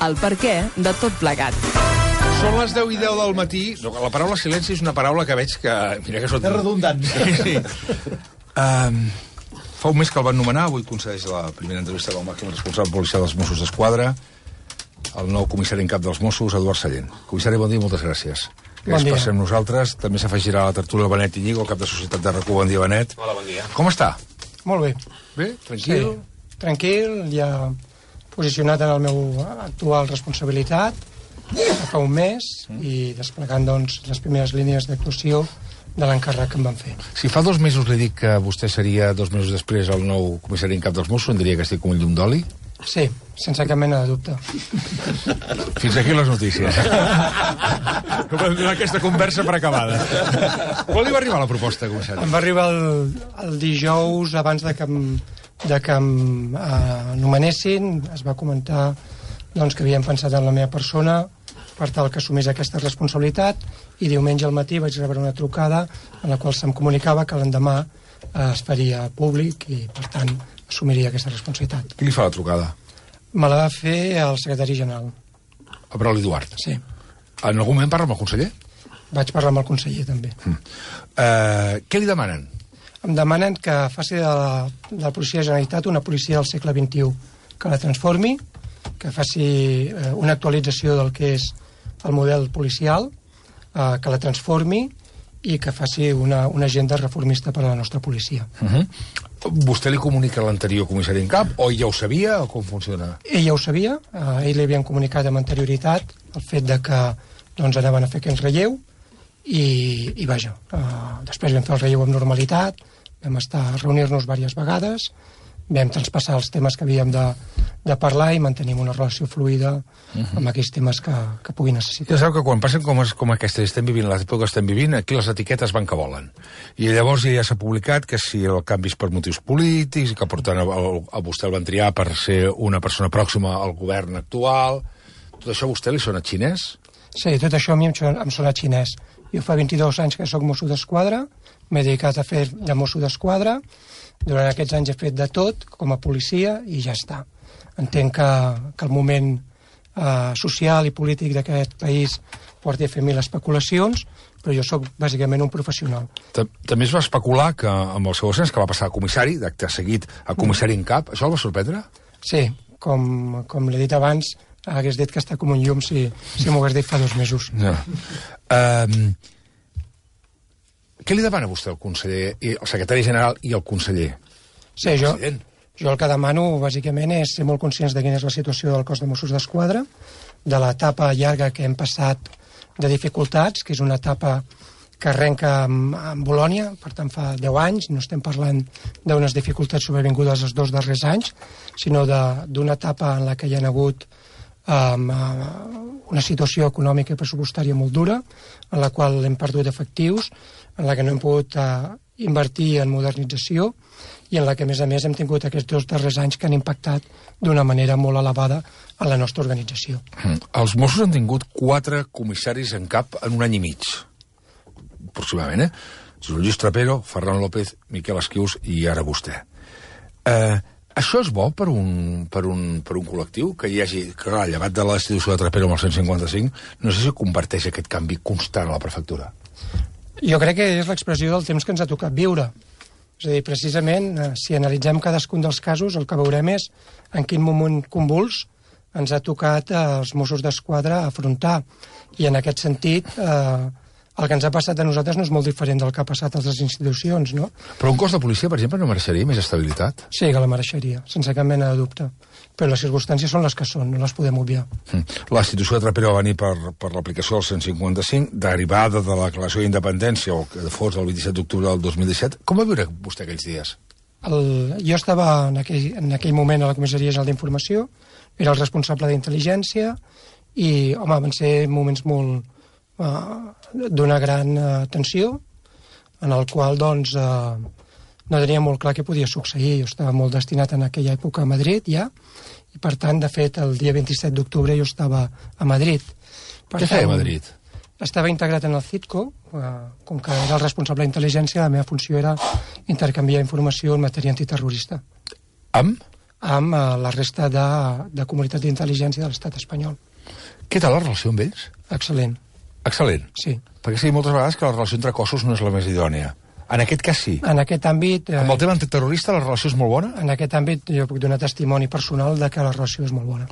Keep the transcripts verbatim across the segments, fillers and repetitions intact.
el perquè de tot plegat. Són les deu i deu del matí. La paraula silenci és una paraula que veig que... Mira que són... És redundant. Sí, sí. Um, fa un mes que el van nomenar, avui concedeix la primera entrevista del màxim responsable policial dels Mossos d'Esquadra, el nou comissari en cap dels Mossos, Eduard Sallent. Comissari, bon dia i moltes gràcies. Bon dia. Passem nosaltres. També s'afegirà a la tertúlia Benet Iñigo, el cap de Societat de RAC u. Bon dia, Benet. Hola, bon dia. Com està? Molt bé. Bé? Tranquil? Sí. Tranquil, ja posicionat en el meu actual responsabilitat fa un mes i desplegant doncs, les primeres línies d'actuació de l'encàrrec que em van fer. Si fa dos mesos li dic que vostè seria dos mesos després el nou comissari en cap dels Mossos, em diria que estic com un llum d'oli? Sí, sense cap mena de dubte. Fins aquí les notícies. Com aquesta conversa per acabada. Quan li va arribar la proposta, comissari? Em va arribar el, el dijous abans de que em, de que em eh, nomenessin. Es va comentar doncs, que havien pensat en la meva persona per tal que assumís aquesta responsabilitat, i diumenge al matí vaig rebre una trucada en la qual se'm comunicava que l'endemà eh, es faria públic i, per tant, assumiria aquesta responsabilitat. Qui li fa la trucada? Me la va fer el secretari general. A Brauli Duart? Sí. En algun moment parla amb el conseller? Vaig parlar amb el conseller, també. Mm. Uh, què li demanen? Em demanen que faci de la, de la policia de la Generalitat una policia del segle vint-i-u, que la transformi, que faci eh, una actualització del que és el model policial, eh, que la transformi i que faci una, una agenda reformista per a la nostra policia. Uh-huh. Vostè li comunica a l'anterior comissari en cap, o ja ho sabia, o com funciona? Ell ja ho sabia, eh, ell li havien comunicat amb anterioritat el fet de que doncs, anaven a fer aquest relleu, i, i vaja, eh, després vam fer el relleu amb normalitat, vam estar a reunir-nos diverses vegades, vam traspassar els temes que havíem de, de parlar i mantenim una relació fluida uh-huh. amb aquells temes que, que pugui necessitar. Ja sabeu que quan passen com, com aquesta estem vivint, l'època que estem vivint, aquí les etiquetes van que volen. I llavors ja s'ha publicat que si el canvi és per motius polítics, que portant a, a vostè el van triar per ser una persona pròxima al govern actual, tot això a vostè li sona xinès? Sí, tot això a mi em, em sona xinès. Jo fa vint-i-dos anys que soc mosso d'esquadra, m'he dedicat a fer de mosso d'esquadra, durant aquests anys he fet de tot com a policia i ja està. Entenc que, que el moment eh, social i polític d'aquest país porti a fer mil especulacions, però jo sóc bàsicament un professional. També es va especular que amb el seu ascens que va passar a comissari, d'acte seguit a comissari en cap, això el va sorprendre? Sí, com, com l'he dit abans, hagués dit que està com un llum si, si m'ho hagués dit fa dos mesos. No. Um, què li demana vostè al conseller, el secretari general i el conseller? Sí, jo, jo el que demano bàsicament és ser molt conscients de quina és la situació del cos de Mossos d'Esquadra, de l'etapa llarga que hem passat de dificultats, que és una etapa que arrenca amb, amb Bolònia, per tant fa deu anys, no estem parlant d'unes dificultats sobrevingudes els dos darrers anys, sinó d'una etapa en la que hi ha hagut um, una situació econòmica i pressupostària molt dura, en la qual hem perdut efectius, en la que no hem pogut uh, invertir en modernització i en la que, a més a més, hem tingut aquests dos darrers anys que han impactat d'una manera molt elevada a la nostra organització. Mm. Els Mossos han tingut quatre comissaris en cap en un any i mig, aproximadament, eh? Josep Lluís Trapero, Ferran López, Miquel Esquius i ara vostè. Eh, això és bo per un, per, un, per un col·lectiu que hi hagi, que clar, llevat de la destitució de Trapero amb el cent cinquanta-cinc, no sé si comparteix aquest canvi constant a la prefectura. Jo crec que és l'expressió del temps que ens ha tocat viure. És a dir, precisament, si analitzem cadascun dels casos, el que veurem és en quin moment convuls ens ha tocat als Mossos d'Esquadra afrontar. I en aquest sentit, eh, el que ens ha passat a nosaltres no és molt diferent del que ha passat a altres institucions, no? Però un cos de policia, per exemple, no mereixeria més estabilitat? Sí, que la mereixeria, sense cap mena de dubte. Però les circumstàncies són les que són, no les podem obviar. La institució de Trapero va venir per, per l'aplicació del cent cinquanta-cinc, derivada de la declaració d'independència, o que fos el vint-i-set d'octubre del dos mil disset. Com va viure vostè aquells dies? El, jo estava en aquell, en aquell moment a la Comissaria General d'Informació, era el responsable d'intel·ligència, i, home, van ser moments molt uh, d'una gran uh, tensió, en el qual, doncs, uh, no tenia molt clar què podia succeir. Jo estava molt destinat en aquella època a Madrid, ja, i per tant, de fet, el dia vint-i-set d'octubre jo estava a Madrid. Per Què feia a Madrid? Estava integrat en el CITCO, eh, com que era el responsable d'intel·ligència, la meva funció era intercanviar informació en matèria antiterrorista. Amb? amb uh, la resta de, de comunitat d'intel·ligència de l'estat espanyol. Què tal la relació amb ells? Excel·lent. Excel·lent? Sí. Perquè sí, moltes vegades que la relació entre cossos no és la més idònia. En aquest cas sí. En aquest àmbit... Amb el tema antiterrorista la relació és molt bona? En aquest àmbit jo puc donar testimoni personal de que la relació és molt bona.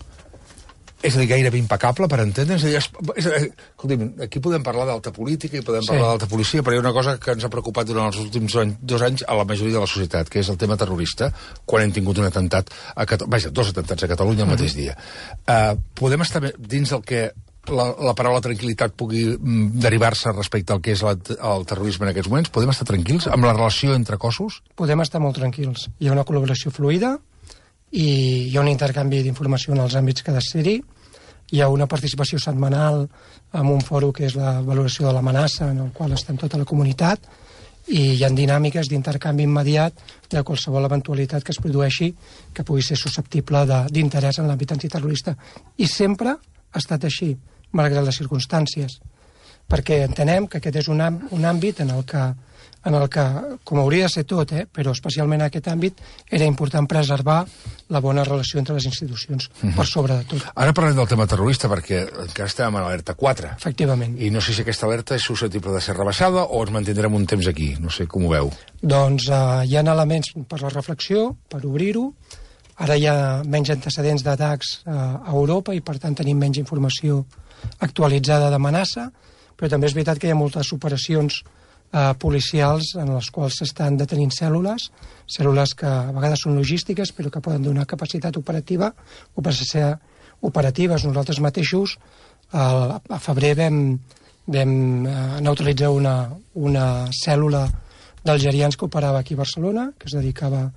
És a dir, gairebé impecable, per entendre'ns? És a dir, es, és a dir, escolti'm, aquí podem parlar d'alta política i podem Sí. parlar d'alta policia, però hi ha una cosa que ens ha preocupat durant els últims any, dos anys a la majoria de la societat, que és el tema terrorista, quan hem tingut un atemptat, a Cata... vaja, dos atemptats a Catalunya el mateix dia. Uh, podem estar dins del que la, la paraula tranquil·litat pugui mm, derivar-se respecte al que és la, el terrorisme en aquests moments? Podem estar tranquils amb la relació entre cossos? Podem estar molt tranquils. Hi ha una col·laboració fluida i hi ha un intercanvi d'informació en els àmbits que ha de ser-hi. Hi ha una participació setmanal en un fòrum que és la valoració de l'amenaça, en el qual està tota la comunitat, i hi ha dinàmiques d'intercanvi immediat de qualsevol eventualitat que es produeixi que pugui ser susceptible d'interès en l'àmbit antiterrorista. I sempre ha estat així, malgrat les circumstàncies, perquè entenem que aquest és un, un àmbit en el que, en el que, com hauria de ser tot, eh, però especialment en aquest àmbit, era important preservar la bona relació entre les institucions, uh-huh. per sobre de tot. Ara parlem del tema terrorista, perquè encara estem en alerta quatre. Efectivament. I no sé si aquesta alerta és susceptible de ser rebaixada o ens mantindrem un temps aquí. No sé com ho veu. Doncs eh, hi ha elements per la reflexió, per obrir-ho. Ara hi ha menys antecedents d'atacs eh, a Europa i, per tant, tenim menys informació actualitzada d'amenaça, però també és veritat que hi ha moltes operacions eh, policials en les quals s'estan detenint cèl·lules, cèl·lules que a vegades són logístiques però que poden donar capacitat operativa o per ser operatives. Nosaltres mateixos eh, a febrer vam, vam eh, neutralitzar una, una cèl·lula d'algerians que operava aquí a Barcelona, que es dedicava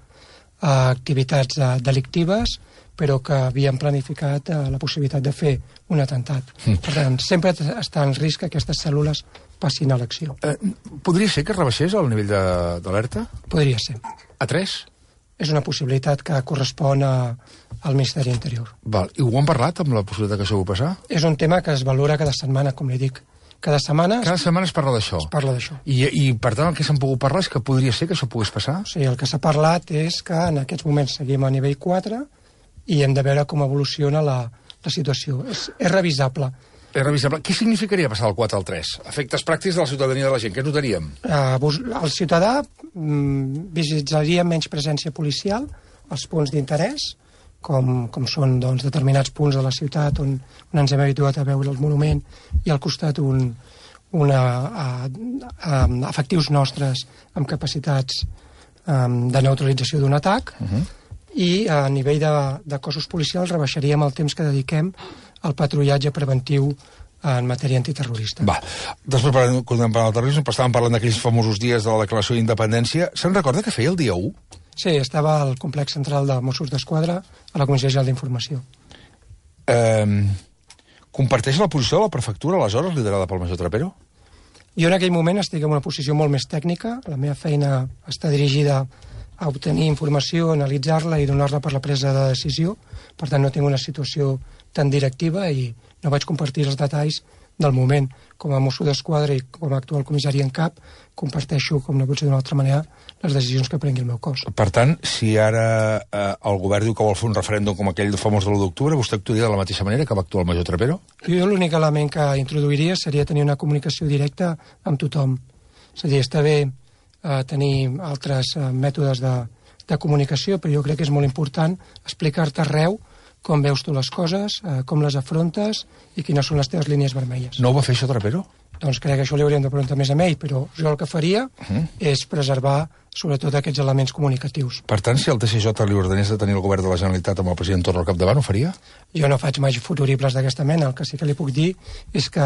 a activitats eh, delictives, però que havien planificat eh, la possibilitat de fer un atemptat. Mm. Per tant, sempre està en risc que aquestes cèl·lules passin a l'acció. Eh, podria ser que es rebaixés el nivell d'alerta? Podria ser. A tres? És una possibilitat que correspon a, al Ministeri Interior. Val. I ho han parlat amb la possibilitat que això ho passar? És un tema que es valora cada setmana, com li dic. Cada setmana... Cada setmana es parla d'això? Es parla d'això. I, I, per tant, el que s'han pogut parlar és que podria ser que això pogués passar? Sí, el que s'ha parlat és que en aquests moments seguim a nivell quatre i hem de veure com evoluciona la, la situació. És, és revisable. És revisable. Què significaria passar del quatre al tres? Efectes pràctics de la ciutadania de la gent. Què notaríem? Uh, el ciutadà mm, visitaria menys presència policial als punts d'interès, com, com són doncs, determinats punts de la ciutat on, on ens hem habituat a veure el monument i al costat un, una, uh, uh, efectius nostres amb capacitats um, de neutralització d'un atac. Uh-huh. I a nivell de, de cossos policials rebaixaríem el temps que dediquem al patrullatge preventiu en matèria antiterrorista. Va, després parlem, continuem parlant del terrorisme, però estàvem parlant d'aquells famosos dies de la declaració d'independència. Se'n recorda que feia el dia u? Sí, estava al complex central de Mossos d'Esquadra a la Comissió General d'Informació. Eh, comparteix la posició de la prefectura, aleshores, liderada pel major Trapero? Jo en aquell moment estic en una posició molt més tècnica. La meva feina està dirigida a obtenir informació, analitzar-la i donar-la per la presa de decisió. Per tant, no tinc una situació tan directiva i no vaig compartir els detalls del moment. Com a mosso d'esquadra i com a actual comissari en cap, comparteixo, com no pot ser d'una altra manera, les decisions que prengui el meu cos. Per tant, si ara eh, el govern diu que vol fer un referèndum com aquell famós de l'u d'octubre, vostè actuaria de la mateixa manera que va actuar el major Trapero? Jo l'únic element que introduiria seria tenir una comunicació directa amb tothom. És a dir, està bé a tenir altres uh, mètodes de, de comunicació, però jo crec que és molt important explicar-te arreu com veus tu les coses, uh, com les afrontes i quines són les teves línies vermelles. No ho va fer això Trapero? Doncs crec que això li hauríem de preguntar més a ell, però jo el que faria uh-huh. és preservar sobretot aquests elements comunicatius. Per tant, si el T S J li ordenés de tenir el govern de la Generalitat amb el president Torra al capdavant, ho faria? Jo no faig mai futuribles d'aquesta mena. El que sí que li puc dir és que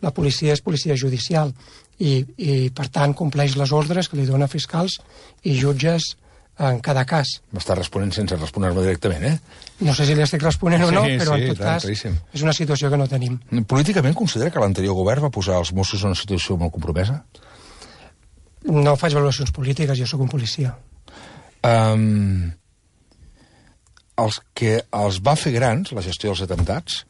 la policia és policia judicial i, i per tant, compleix les ordres que li dona fiscals i jutges en cada cas. M'està responent sense respondre-me directament, eh? No sé si li estic responent sí, o no, però sí, en tot tant, cas claríssim. És una situació que no tenim. Políticament considera que l'anterior govern va posar els Mossos en una situació molt compromesa? No faig valoracions polítiques, jo sóc un policia. Um, els que els va fer grans, la gestió dels atemptats,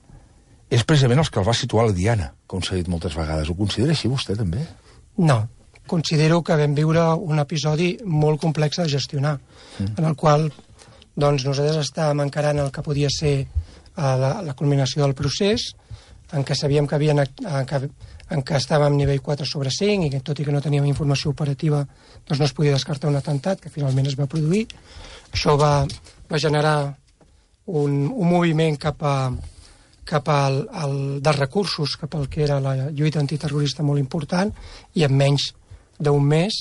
és precisament els que els va situar a la diana, com s'ha dit moltes vegades. Ho considera així vostè, també? No. Considero que vam viure un episodi molt complex de gestionar, mm. en el qual doncs nosaltres estàvem encarant el que podia ser uh, la, la culminació del procés, en què sabíem que, havien, en què, en què estàvem a nivell quatre sobre cinc i que, tot i que no teníem informació operativa, doncs no es podia descartar un atemptat, que finalment es va produir. Això va, va generar un, un moviment cap a cap al, al, dels recursos, cap al que era la lluita antiterrorista molt important, i en menys d'un mes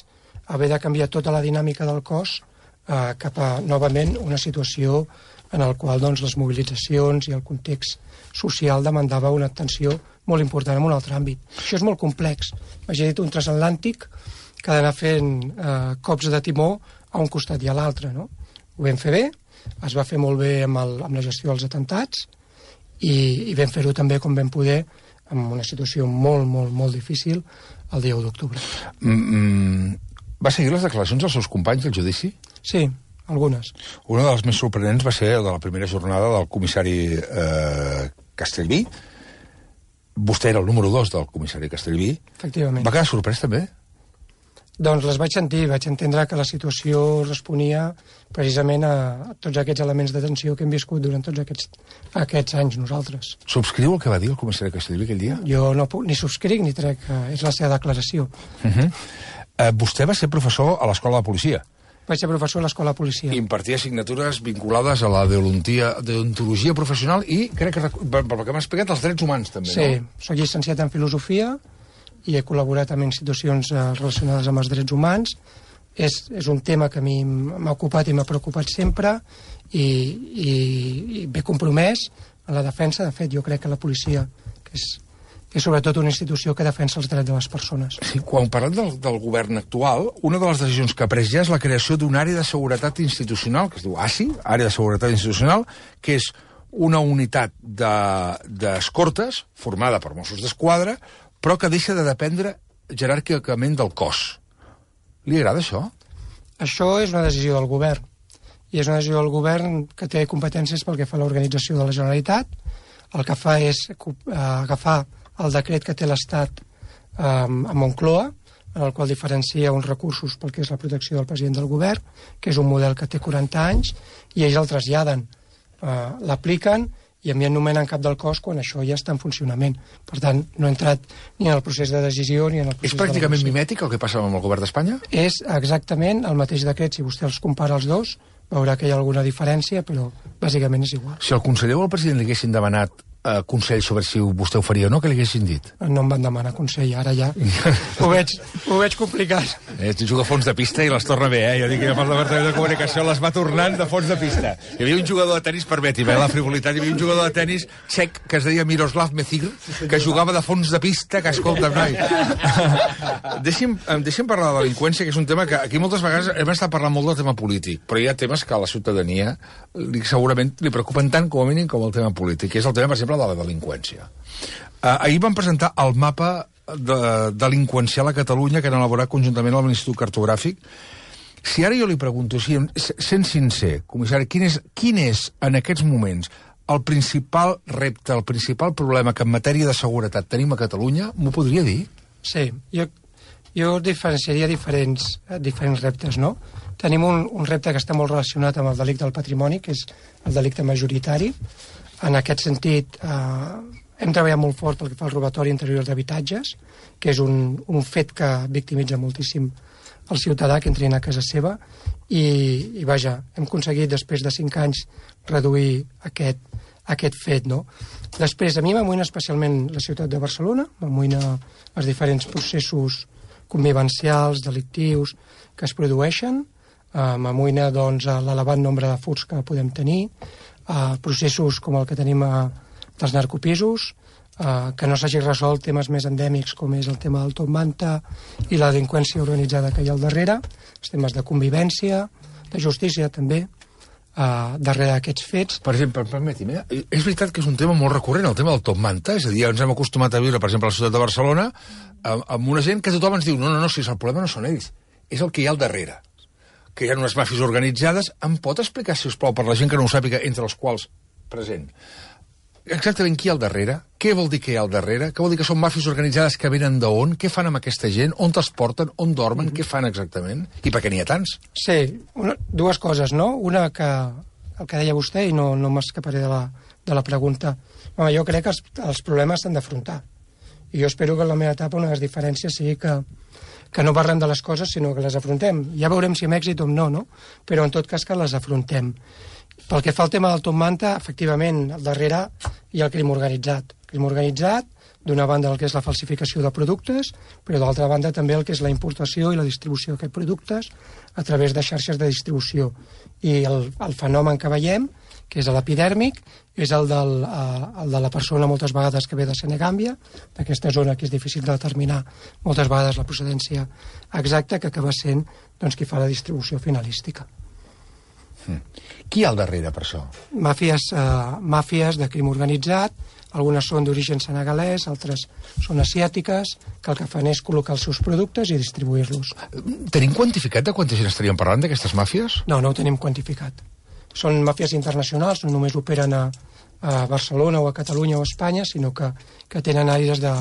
haver de canviar tota la dinàmica del cos eh, cap a, novament, una situació en la qual doncs, les mobilitzacions i el context social demandava una atenció molt important en un altre àmbit. Això és molt complex. Imagina't un transatlàntic que ha d'anar fent eh, cops de timó a un costat i a l'altre, no? Ho vam fer bé, es va fer molt bé amb, el, amb la gestió dels atemptats, i, i vam fer-ho també com vam poder en una situació molt, molt, molt difícil el dia u d'octubre. Mm, mm, va seguir les declaracions dels seus companys del judici? Sí, algunes. Una de les més sorprenents va ser de la primera jornada del comissari eh, Castellví. Vostè era el número dos del comissari Castellví. Efectivament. Va quedar sorprès també? Doncs les vaig sentir, vaig entendre que la situació responia precisament a tots aquests elements de tensió que hem viscut durant tots aquests, aquests anys nosaltres. Subscriu el que va dir el comissari Castellví aquell dia? Jo no puc, ni subscric ni trec, és la seva declaració. Uh -huh. eh, vostè va ser professor a l'escola de policia. Vaig ser professor a l'escola de policia. Impartia assignatures vinculades a la deontologia professional i, crec que, pel que m'ha explicat, als drets humans també, sí, no? Sí, soc llicenciat en filosofia i he col·laborat amb institucions eh, relacionades amb els drets humans. És, és un tema que a mi m'ha ocupat i m'ha preocupat sempre i, i, i ben compromès en la defensa. De fet, jo crec que la policia, que és, és sobretot una institució que defensa els drets de les persones. Sí, quan parlem del, del govern actual, una de les decisions que ha pres ja és la creació d'una àrea de seguretat institucional, que es diu A S I, Àrea de Seguretat Institucional, que és una unitat d'escortes de, formada per Mossos d'Esquadra, però que deixa de dependre jeràrquicament del cos. Li agrada això? Això és una decisió del govern. I és una decisió del govern que té competències pel que fa a l'organització de la Generalitat. El que fa és uh, agafar el decret que té l'Estat um, a Moncloa, en el qual diferencia uns recursos pel que és la protecció del president del govern, que és un model que té quaranta anys, i ells el traslladen, uh, l'apliquen, i a mi em nomenen cap del cos quan això ja està en funcionament. Per tant, no he entrat ni en el procés de decisió ni en el procés de... És pràcticament mimètic el que passa amb el govern d'Espanya? És exactament el mateix decret. Si vostè els compara els dos, veurà que hi ha alguna diferència, però bàsicament és igual. Si el conseller o el president li haguessin demanat eh, consell sobre si vostè ho faria o no, què li haguessin dit? No em van demanar consell, ara ja ho veig, ho veig complicat. Eh, juga a fons de pista i les torna bé, eh? Jo dic que el departament de comunicació les va tornant de fons de pista. Hi havia un jugador de tenis, permeti'm, eh, la frivolitat, hi havia un jugador de tenis txec que es deia Miroslav Mecir, que jugava de fons de pista, que escolta, noi. deixi'm, deixi'm parlar de delinqüència, que és un tema que aquí moltes vegades hem estat parlant molt del tema polític, però hi ha temes que a la ciutadania li, segurament li preocupen tant com a mínim com el tema polític, que és el tema, per exemple, de la delinqüència. Uh, ahir van presentar el mapa de delinqüencial a Catalunya que han elaborat conjuntament amb l'Institut Cartogràfic. Si ara jo li pregunto, si, sent sincer, comissari, quin és, quin és en aquests moments el principal repte, el principal problema que en matèria de seguretat tenim a Catalunya, m'ho podria dir? Sí, jo, jo diferenciaria diferents, diferents reptes, no? Tenim un, un repte que està molt relacionat amb el delicte del patrimoni, que és el delicte majoritari. En aquest sentit, eh, hem treballat molt fort pel que fa al robatori interior d'habitatges, que és un, un fet que victimitza moltíssim el ciutadà que entrin a casa seva, i, i vaja, hem aconseguit després de cinc anys reduir aquest, aquest fet, no? Després, a mi m'amoïna especialment la ciutat de Barcelona, m'amoïna els diferents processos convivencials, delictius que es produeixen, eh, m'amoïna doncs, l'elevat nombre de furts que podem tenir, eh, processos com el que tenim a dels narcopisos, eh, que no s'hagi resolt temes més endèmics com és el tema del top manta i la delinqüència organitzada que hi ha al darrere, els temes de convivència, de justícia també, eh, darrere d'aquests fets. Per exemple, permeti'm, eh? és veritat que és un tema molt recurrent, el tema del top manta, és a dir, ens hem acostumat a viure, per exemple, a la ciutat de Barcelona, amb, amb una gent que tothom ens diu, no, no, no, si el problema no són ells, és el que hi ha al darrere, que hi ha unes màfies organitzades. Em pot explicar, si us plau, per la gent que no ho sàpiga, entre els quals present, exactament qui hi ha al darrere? Què vol dir que hi ha al darrere? Què vol dir que són màfies organitzades que venen d'on? Què fan amb aquesta gent? On els porten? On dormen? Mm-hmm. Què fan exactament? I per què n'hi ha tants? Sí, una, dues coses, no? Una que el que deia vostè, i no, no m'escaparé de, la, de la pregunta. Home, jo crec que els, els problemes s'han d'afrontar. I jo espero que en la meva etapa una de les diferències sigui que, que no parlem de les coses, sinó que les afrontem. Ja veurem si amb èxit o no, no? Però en tot cas que les afrontem. Pel que fa al tema del top manta, efectivament, al darrere hi ha el crim organitzat. El crim organitzat, d'una banda el que és la falsificació de productes, però d'altra banda també el que és la importació i la distribució d'aquests productes a través de xarxes de distribució. I el, el fenomen que veiem, que és l'epidèrmic, és el, del, eh, el de la persona moltes vegades que ve de Senegàmbia, d'aquesta zona que és difícil de determinar moltes vegades la procedència exacta, que acaba sent doncs, qui fa la distribució finalística. Mm. Qui hi ha al darrere per això? Màfies, eh, màfies de crim organitzat, algunes són d'origen senegalès, altres són asiàtiques, que el que fan és col·locar els seus productes i distribuir-los. Tenim quantificat de quanta gent estaríem parlant d'aquestes màfies? No, no ho tenim quantificat. Són màfies internacionals, no només operen a, a Barcelona o a Catalunya o a Espanya, sinó que, que tenen àrees de,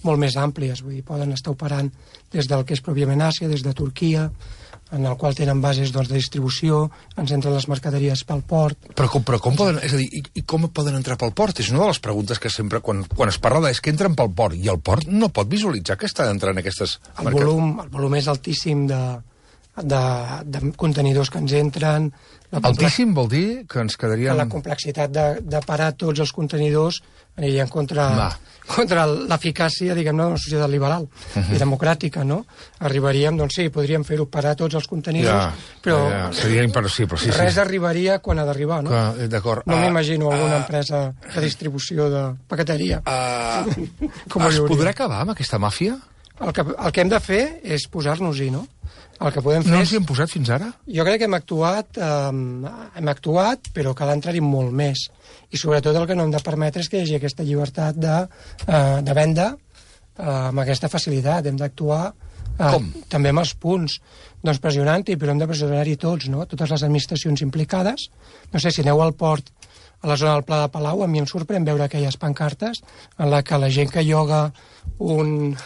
molt més àmplies, vull dir, poden estar operant des del que és pròpiament Àsia, des de Turquia, en el qual tenen bases doncs, de distribució, ens entren les mercaderies pel port... Però com, però com poden, és a dir, i, i com poden entrar pel port? És una de les preguntes que sempre, quan, quan es parla de, és que entren pel port, i el port no pot visualitzar que estan entrant aquestes... El volum, el volum és altíssim de, de, de contenidors que ens entren... Altíssim vol dir que ens quedaríem... La complexitat de, de parar tots els contenidors anirien contra... Va. contra l'eficàcia, diguem-ne, d'una societat liberal uh -huh. i democràtica, no? Arribaríem, doncs sí, podríem fer-ho parar tots els contenidors, ja, però ja, ja. Seria impossible, sí, res sí. arribaria quan ha d'arribar, no? D'acord. No uh, m'imagino alguna uh, empresa de distribució de paqueteria. Uh, Com es podrà acabar amb aquesta màfia? El que, el que hem de fer és posar-nos-hi, no? El que podem fer no és... ens hi hem posat fins ara? Jo crec que hem actuat, eh, hem actuat, però cal entrar-hi molt més. I sobretot el que no hem de permetre és que hi hagi aquesta llibertat de, eh, de venda eh, amb aquesta facilitat. Hem d'actuar eh, també amb els punts, doncs pressionant-hi, però hem de pressionar-hi tots, no? Totes les administracions implicades. No sé, si aneu al port, a la zona del Pla de Palau, a mi em sorprèn veure aquelles pancartes en la que la gent que lloga un...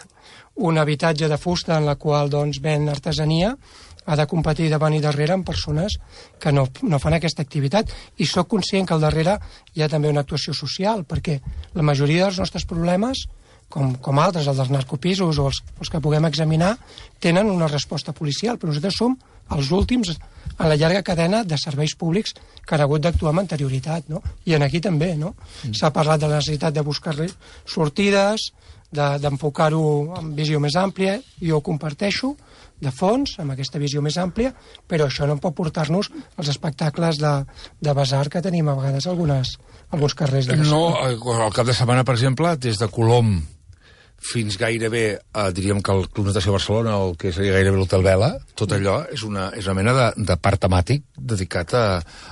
un habitatge de fusta en la qual doncs, ven artesania ha de competir davant i darrere amb persones que no, no fan aquesta activitat. I sóc conscient que al darrere hi ha també una actuació social, perquè la majoria dels nostres problemes, com, com altres, els dels narcopisos o els, els que puguem examinar, tenen una resposta policial, però nosaltres som els últims en la llarga cadena de serveis públics que han hagut d'actuar amb anterioritat, no? I en aquí també, no? Mm. S'ha parlat de la necessitat de buscar sortides, d'enfocar-ho de, amb visió més àmplia, jo ho comparteixo, de fons, amb aquesta visió més àmplia, però això no pot portar-nos als espectacles de, de basar que tenim a vegades algunes, alguns carrers de Barcelona. No, al cap de setmana, per exemple, des de Colom fins gairebé, eh, diríem que el Club Natació Barcelona, el que seria gairebé l'Hotel Vela, tot allò és una, és una mena de, de parc temàtic dedicat a,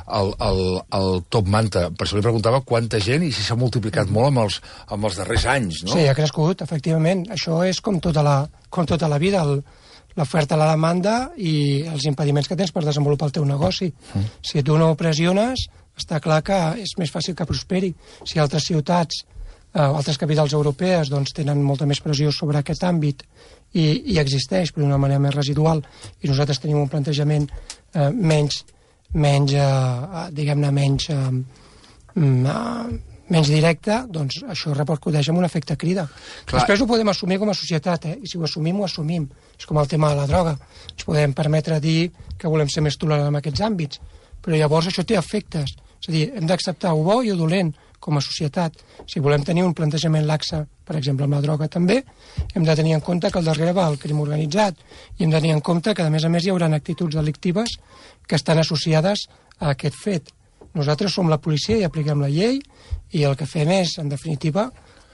al, al, al top manta. Per això li preguntava quanta gent i si s'ha multiplicat molt amb els, amb els darrers anys, no? Sí, ha crescut, efectivament. Això és com tota la, com tota la vida, l'oferta, la demanda i els impediments que tens per desenvolupar el teu negoci. Mm. Si tu no pressiones, està clar que és més fàcil que prosperi. Si altres ciutats Uh, altres capitals europees doncs, tenen molta més pressió sobre aquest àmbit i, i existeix, però d'una manera més residual, i nosaltres tenim un plantejament uh, menys, menys uh, diguem-ne, menys, uh, uh, menys directe, doncs això repercuteix en un efecte crida. Clar. Després ho podem assumir com a societat, eh? I si ho assumim, ho assumim. És com el tema de la droga. Ens podem permetre dir que volem ser més tolerants en aquests àmbits, però llavors això té efectes. És a dir, hem d'acceptar ho bo i ho dolent com a societat. Si volem tenir un plantejament laxe, per exemple, amb la droga també, hem de tenir en compte que al darrere va el crim organitzat i hem de tenir en compte que, a més a més, hi haurà actituds delictives que estan associades a aquest fet. Nosaltres som la policia i apliquem la llei i el que fem és, en definitiva,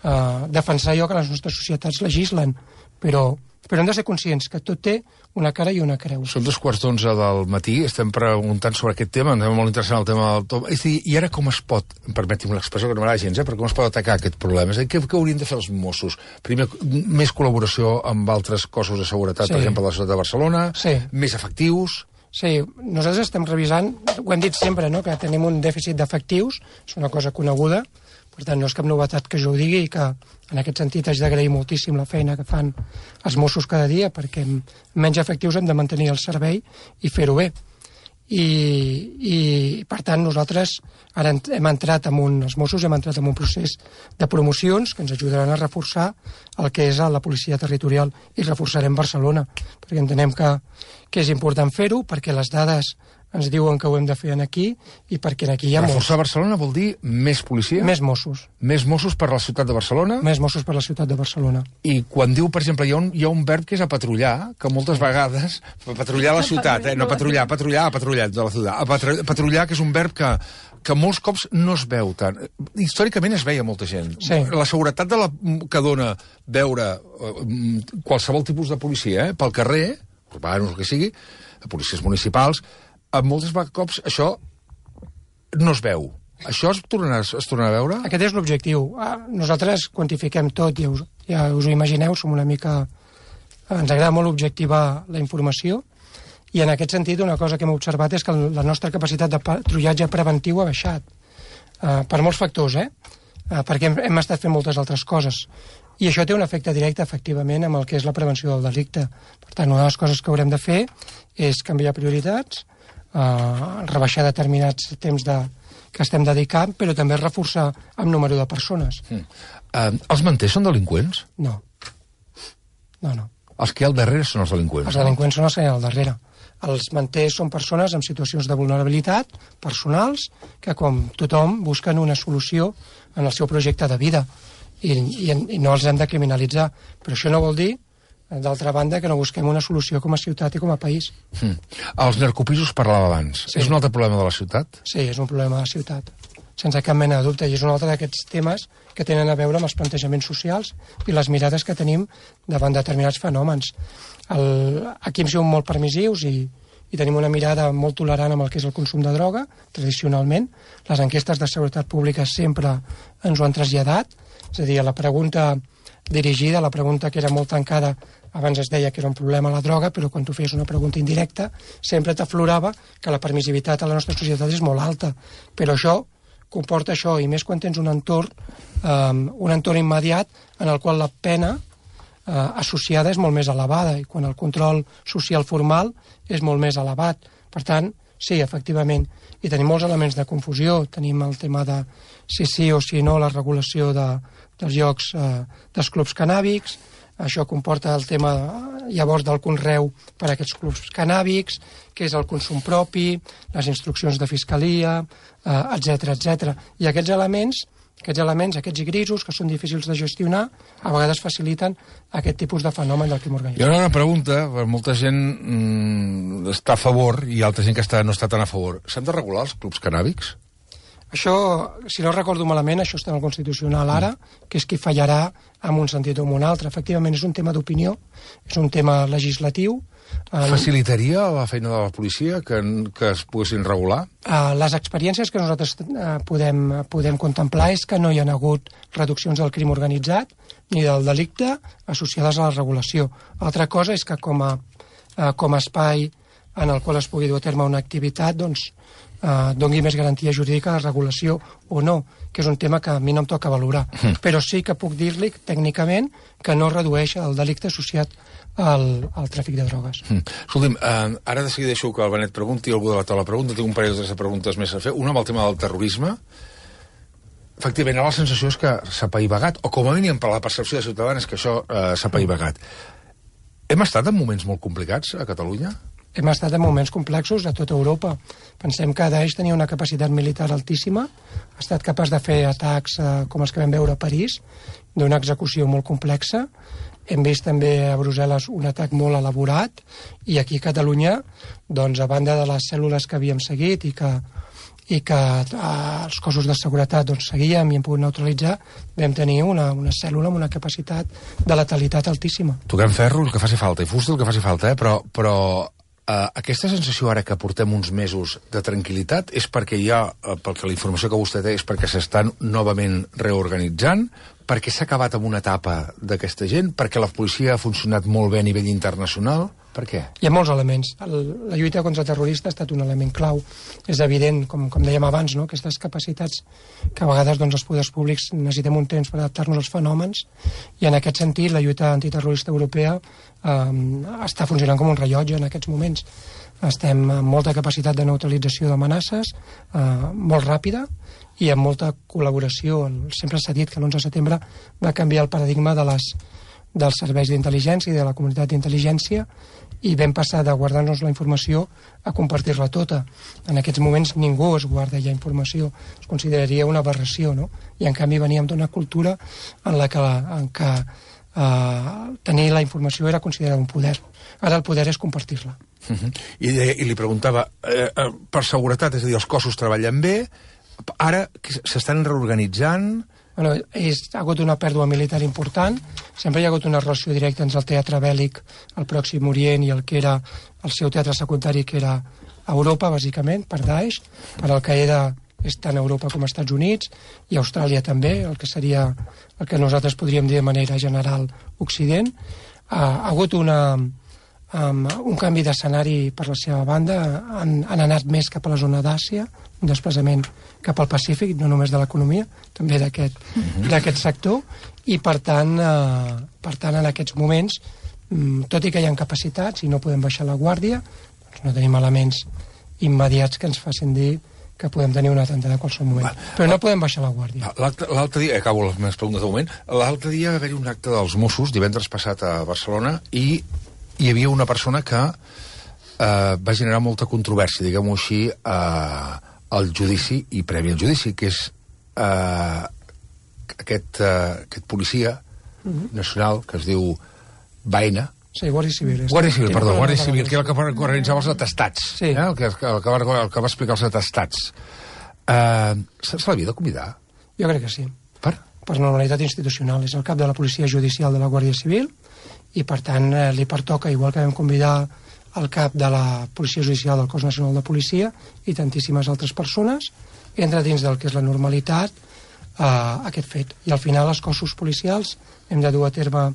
eh, defensar allò que les nostres societats legislen, però però hem de ser conscients que tot té una cara i una creu. Són dos quarts d'onze del matí, estem preguntant sobre aquest tema, ens és molt interessant el tema del top. És a dir, i ara com es pot, permeti'm l'expressió que no m'agrada gens, eh, però com es pot atacar aquest problema? És a dir, què, què haurien de fer els Mossos? Primer, més col·laboració amb altres cossos de seguretat, sí. Per exemple, de la ciutat de Barcelona, sí. Més efectius... Sí, nosaltres estem revisant, ho hem dit sempre, no?, que tenim un dèficit d'efectius, és una cosa coneguda, per tant, no és cap novetat que jo ho digui i que en aquest sentit haig d'agrair moltíssim la feina que fan els Mossos cada dia, perquè amb menys efectius hem de mantenir el servei i fer-ho bé. i, i per tant nosaltres ara hem entrat en un, els Mossos hem entrat en un procés de promocions que ens ajudaran a reforçar el que és la policia territorial i reforçarem Barcelona, perquè entenem que, que és important fer-ho, perquè les dades ens diuen que ho hem de fer aquí i perquè aquí hi ha Reforçar molts. Barcelona vol dir més policia? Més Mossos. Més Mossos per la ciutat de Barcelona? Més Mossos per la ciutat de Barcelona. I quan diu, per exemple, hi ha un, hi ha un verb que és a patrullar, que moltes vegades... Patrullar la ciutat, eh? No patrullar, patrullar, patrullar de la ciutat. A patrullar, que és un verb que, que molts cops no es veu tant. Històricament es veia molta gent. Sí. La seguretat de la, que dona veure qualsevol tipus de policia, eh? Pel carrer, urbanos, el que sigui, policies municipals, a molts cops això no es veu. Això es tornarà, es tornarà a veure? Aquest és l'objectiu. Nosaltres quantifiquem tot, ja us, ja us ho imagineu, som una mica... Ens agrada molt objectivar la informació i en aquest sentit una cosa que hem observat és que la nostra capacitat de patrullatge preventiu ha baixat. Uh, per molts factors, eh? Uh, perquè hem, hem estat fent moltes altres coses. I això té un efecte directe, efectivament, amb el que és la prevenció del delicte. Per tant, una de les coses que haurem de fer és canviar prioritats, Uh, rebaixar determinats temps de, que estem dedicant, però també reforçar amb número de persones. Mm. Uh, els manters són delinqüents? No. No, no. Els que hi ha al darrere són els delinqüents? Els delinqüents són els que hi ha al darrere. Els manters són persones en situacions de vulnerabilitat, personals, que com tothom busquen una solució en el seu projecte de vida i, i, i no els hem de criminalitzar. Però això no vol dir, d'altra banda, que no busquem una solució com a ciutat i com a país. Mm. Els narcopisos parlava abans. Sí. És un altre problema de la ciutat? Sí, és un problema de la ciutat, sense cap mena de dubte, i és un altre d'aquests temes que tenen a veure amb els plantejaments socials i les mirades que tenim davant determinats fenòmens. El, aquí hem sigut molt permissius i, i tenim una mirada molt tolerant amb el que és el consum de droga, tradicionalment. Les enquestes de seguretat pública sempre ens ho han traslladat, és a dir, a la pregunta dirigida, la pregunta que era molt tancada, abans es deia que era un problema la droga, però quan tu feies una pregunta indirecta sempre t'aflorava que la permissivitat a la nostra societat és molt alta. Però això comporta això, i més quan tens un entorn, um, un entorn immediat en el qual la pena uh, associada és molt més elevada i quan el control social formal és molt més elevat. Per tant, sí, efectivament, i tenim molts elements de confusió. Tenim el tema de si sí o si no la regulació de, dels llocs eh, dels clubs canàbics. Això comporta el tema llavors del conreu per a aquests clubs canàbics, que és el consum propi, les instruccions de fiscalia, eh, etcètera, etcètera. I aquests elements, aquests elements, aquests grisos, que són difícils de gestionar, a vegades faciliten aquest tipus de fenomen del crim organitzat. Hi ha una pregunta, molta gent mm, està a favor i altra gent que està, no està tan a favor. S'han de regular els clubs canàbics? Això, si no recordo malament, això està en el Constitucional ara, que és qui fallarà en un sentit o en un altre. Efectivament, és un tema d'opinió, és un tema legislatiu. Facilitaria la feina de la policia que, que es poguessin regular? Les experiències que nosaltres podem, podem contemplar és que no hi ha hagut reduccions del crim organitzat ni del delicte associades a la regulació. Altra cosa és que com a, com a espai en el qual es pugui dur a terme una activitat, doncs, Uh, doni més garantia jurídica a la regulació o no, que és un tema que a mi no em toca valorar. Mm. Però sí que puc dir-li tècnicament que no redueix el delicte associat al, al tràfic de drogues. Mm. Escolti'm, uh, ara de seguida deixo que el Benet pregunti, algú de la taula pregunta, tinc un parell de preguntes més a fer. Una amb el tema del terrorisme. Efectivament, la sensació és que s'ha apaivagat, o com a mínim per la percepció de ciutadans és que això uh, s'ha apaivagat. Hem estat en moments molt complicats a Catalunya? Hem estat en moments complexos a tota Europa. Pensem que Daesh tenia una capacitat militar altíssima, ha estat capaç de fer atacs eh, com els que vam veure a París, d'una execució molt complexa. Hem vist també a Brussel·les un atac molt elaborat, i aquí a Catalunya, doncs, a banda de les cèl·lules que havíem seguit i que, i que eh, els cossos de seguretat doncs, seguíem i hem pogut neutralitzar, vam tenir una, una cèl·lula amb una capacitat de letalitat altíssima. Toquem ferro, el que faci falta, i fusta el que faci falta, eh? però... però... Uh, aquesta sensació ara que portem uns mesos de tranquil·litat és perquè hi ha, uh, perquè la informació que vostè té és perquè s'estan novament reorganitzant, perquè s'ha acabat amb una etapa d'aquesta gent, perquè la policia ha funcionat molt bé a nivell internacional. Per què? Hi ha molts elements. El, la lluita contra terrorista ha estat un element clau. És evident, com, com dèiem abans, no? Aquestes capacitats que a vegades doncs, els poders públics necessitem un temps per adaptar-nos als fenòmens, i en aquest sentit la lluita antiterrorista europea eh, està funcionant com un rellotge en aquests moments. estem amb molta capacitat de neutralització d'amenaces, eh, molt ràpida, i amb molta col·laboració. Sempre s'ha dit que l'onze de setembre va canviar el paradigma de les, dels serveis d'intel·ligència i de la comunitat d'intel·ligència, i vam passar de guardar-nos la informació a compartir-la tota. En aquests moments ningú es guarda ja informació, es consideraria una aberració, no? I en canvi veníem d'una cultura en la que, en què eh, tenir la informació era considerar un poder. Ara el poder és compartir-la. Uh-huh. I, I li preguntava, eh, per seguretat, és a dir, els cossos treballen bé, ara s'estan reorganitzant? Bueno, és, ha hagut una pèrdua militar important, sempre hi ha hagut una relació directa entre el teatre bèl·lic, el Pròxim Orient, i el que era el seu teatre secundari, que era Europa, bàsicament, per Daesh, per Al-Qaeda és tant Europa com Estats Units, i Austràlia també, el que seria el que nosaltres podríem dir de manera general Occident. Ha, ha hagut una, um, un canvi d'escenari per la seva banda, han, han anat més cap a la zona d'Àsia, un desplaçament cap al Pacífic, no només de l'economia, també d'aquest uh-huh. d'aquest sector, i per tant, eh, per tant, en aquests moments, tot i que hi ha capacitats i no podem baixar la guàrdia, doncs no tenim elements immediats que ens facin dir que podem tenir un atemptat a qualsevol moment. Va, però no podem baixar la guàrdia. L'altre dia, acabo les meves preguntes de moment, l'altre dia va haver-hi un acte dels Mossos, divendres passat a Barcelona, i hi havia una persona que eh, va generar molta controvèrsia, diguem-ho així, eh, al judici i previ al judici, que és eh, aquest, eh, aquest policia uh-huh. nacional que es diu Baena. Sí, Guàrdia Civil. Guàrdia Civil, perdó, Guàrdia Civil, que era el que organitzava els atestats, sí. eh? el, que, el, que va, el que va explicar els atestats. Eh, se l'havia de convidar? Jo crec que sí. Per? Per normalitat institucional. És el cap de la policia judicial de la Guàrdia Civil i, per tant, eh, li pertoca, igual que vam convidar el cap de la Policia Judicial del Cos Nacional de Policia i tantíssimes altres persones, entra dins del que és la normalitat eh, aquest fet. I al final els cossos policials hem de dur a terme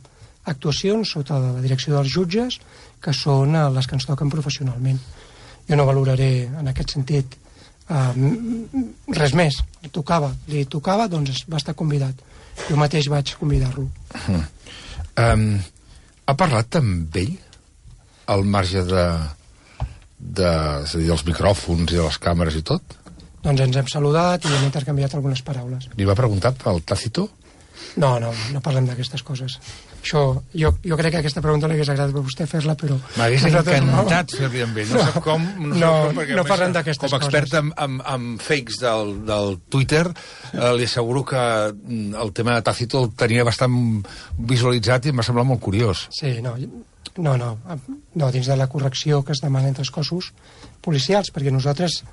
actuacions sota la direcció dels jutges, que són eh, les que ens toquen professionalment. Jo no valoraré en aquest sentit eh, res més. Li tocava, li tocava, doncs va estar convidat. Jo mateix vaig convidar-lo. Mm. Um, ha parlat amb ell? Al marge de, de, és a dir, dels micròfons i de les càmeres i tot? Doncs ens hem saludat i hem intercanviat algunes paraules. Li va preguntar pel Tácito? No, no, no parlem d'aquestes coses. Això, jo, jo crec que aquesta pregunta l'hagués agradat per vostè fer-la, però... M'hagués encantat no. fer-li amb ell. No, no sap com... No, no, com, perquè, no parlem d'aquestes coses. Com a expert en, en, en fakes del, del Twitter, eh, li asseguro que el tema de Tácito el tenia bastant visualitzat i em va semblar molt curiós. Sí, no, no, no, no, dins de la correcció que es demana entre els cossos policials, perquè nosaltres,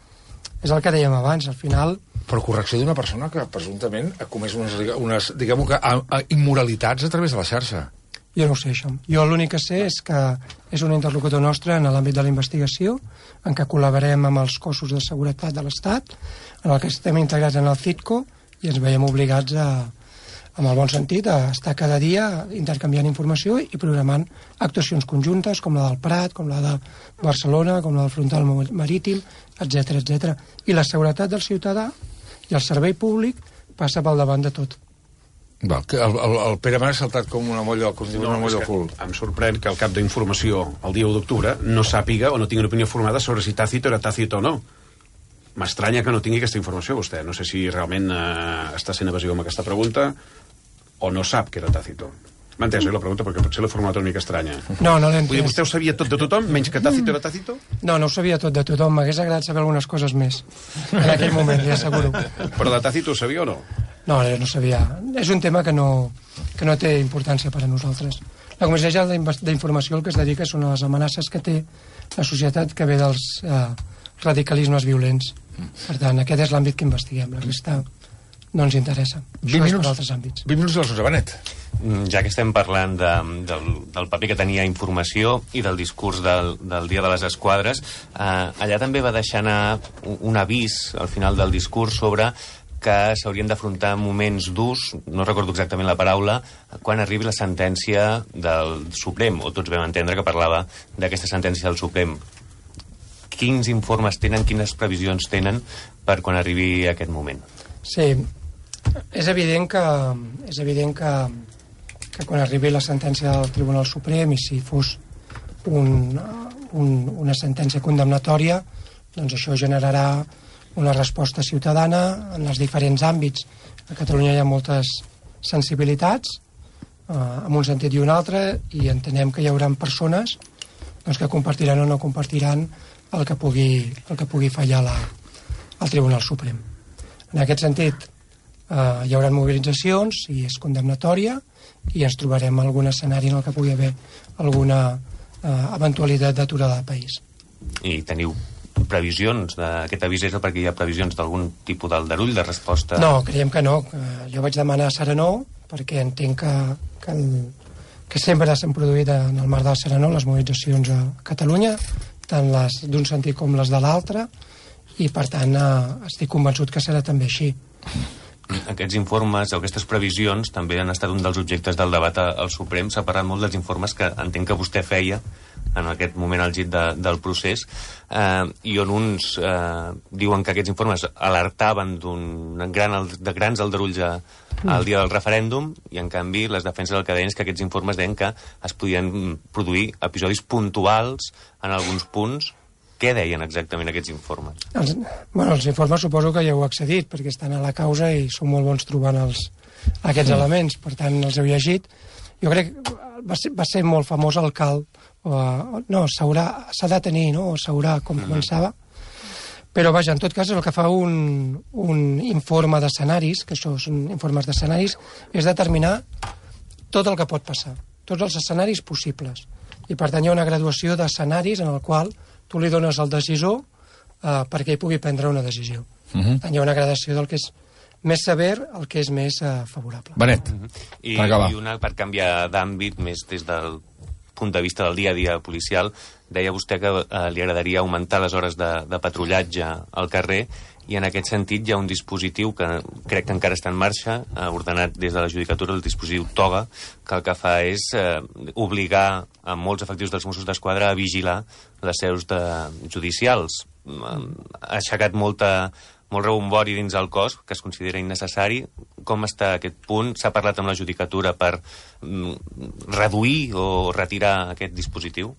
és el que dèiem abans, al final... Però correcció d'una persona que presumptament ha comès unes, unes diguem-ho que, a, a, immoralitats a través de la xarxa. Jo no ho sé, això. Jo l'únic que sé és que és un interlocutor nostre en l'àmbit de la investigació, en què col·laborem amb els cossos de seguretat de l'Estat, en el que estem integrats en el CITCO, i ens veiem obligats a, amb el bon sentit, a estar cada dia intercanviant informació i programant actuacions conjuntes, com la del Prat, com la de Barcelona, com la del Frontal Marítim, etcètera, etcètera. I la seguretat del ciutadà i el servei públic passa pel davant de tot. Val, que el, el, el Pere Mas ha saltat com una molla, com no, una molla al cul. Em sorprèn que el cap d'informació el dia u d'octubre no sàpiga o no tingui una opinió formada sobre si Tácito era Tácito o no. M'estranya que no tingui aquesta informació, vostè. No sé si realment eh, està sent evasiu amb aquesta pregunta o no sap que era Tácito. M'ha entès, eh, la pregunta, perquè potser l'he formulat una mica estranya. No, no l'he entès. Vull dir, vostè ho sabia tot de tothom, menys que Tácito era Tácito? No, no ho sabia tot de tothom. M'hagués agradat saber algunes coses més en aquell moment, li asseguro. Però de Tácito ho sabia o no? No, no sabia. És un tema que no, que no té importància per a nosaltres. La Comissió General d'Informació el que es dedica són a les amenaces que té la societat que ve dels eh, radicalismes violents. Per tant, aquest és l'àmbit que investiguem. La resta no ens interessa. Això és per altres àmbits. vint minuts de l'onze, Benet. Ja que estem parlant de, del, del paper que tenia informació i del discurs del, del Dia de les Esquadres, eh, allà també va deixar anar un avís al final del discurs sobre que s'haurien d'afrontar moments durs, no recordo exactament la paraula, quan arribi la sentència del Suprem, o tots vam entendre que parlava d'aquesta sentència del Suprem. Quins informes tenen, quines previsions tenen per quan arribi aquest moment? Sí, és evident que, és evident que, que quan arribi la sentència del Tribunal Suprem, i si fos un, un, una sentència condemnatòria, doncs això generarà una resposta ciutadana en els diferents àmbits. A Catalunya hi ha moltes sensibilitats, eh, en un sentit i un altre, i entenem que hi haurà persones doncs, que compartiran o no compartiran el que pugui, el que pugui fallar la, el Tribunal Suprem. En aquest sentit, eh, hi haurà mobilitzacions i és condemnatòria i ens trobarem en algun escenari en el que pugui haver alguna eh, eventualitat d'aturada del país. I teniu previsions d'aquest avís és perquè hi ha previsions d'algun tipus d'aldarull, de resposta? No, creiem que no. Jo vaig demanar Serenor perquè entenc que, que, el, que sempre s'han produït en el marc del Serenor les mobilitzacions a Catalunya, tant les d'un sentit com les de l'altre, i per tant eh, estic convençut que serà també així. Aquests informes o aquestes previsions també han estat un dels objectes del debat al Suprem. S'ha parlat molt dels informes que entenc que vostè feia en aquest moment al llit de, del procés, eh, i on uns eh, diuen que aquests informes alertaven d'un gran, de grans aldarulls a, al dia del referèndum, i en canvi les defenses del que deien és que aquests informes deien que es podien produir episodis puntuals en alguns punts. Què deien exactament aquests informes? Els, bueno, els informes suposo que ja heu accedit, perquè estan a la causa i són molt bons trobant els, aquests mm. elements, per tant els heu llegit. Jo crec que va ser, va ser molt famós el cal, o, no, s'ha de tenir, no? O s'haurà, com mm. començava. Però vaja, en tot cas, el que fa un, un informe d'escenaris, que això són informes d'escenaris, és determinar tot el que pot passar, tots els escenaris possibles. I per tant hi ha una graduació d'escenaris en el qual tu li dones al decisor eh, perquè ell pugui prendre una decisió. Uh -huh. Hi ha una gradació del que és més sever al que és més eh, favorable. Benet, uh -huh. I, per acabar. I una, per canviar d'àmbit, més des del punt de vista del dia a dia policial, deia vostè que eh, li agradaria augmentar les hores de, de patrullatge al carrer, i en aquest sentit hi ha un dispositiu que crec que encara està en marxa, eh, ordenat des de la Judicatura, el dispositiu Toga, que el que fa és eh, obligar a molts efectius dels Mossos d'Esquadra a vigilar les seus de, judicials. Ha aixecat molta, molt rebombori dins el cos, que es considera innecessari. Com està aquest punt? S'ha parlat amb la Judicatura per mm, reduir o retirar aquest dispositiu?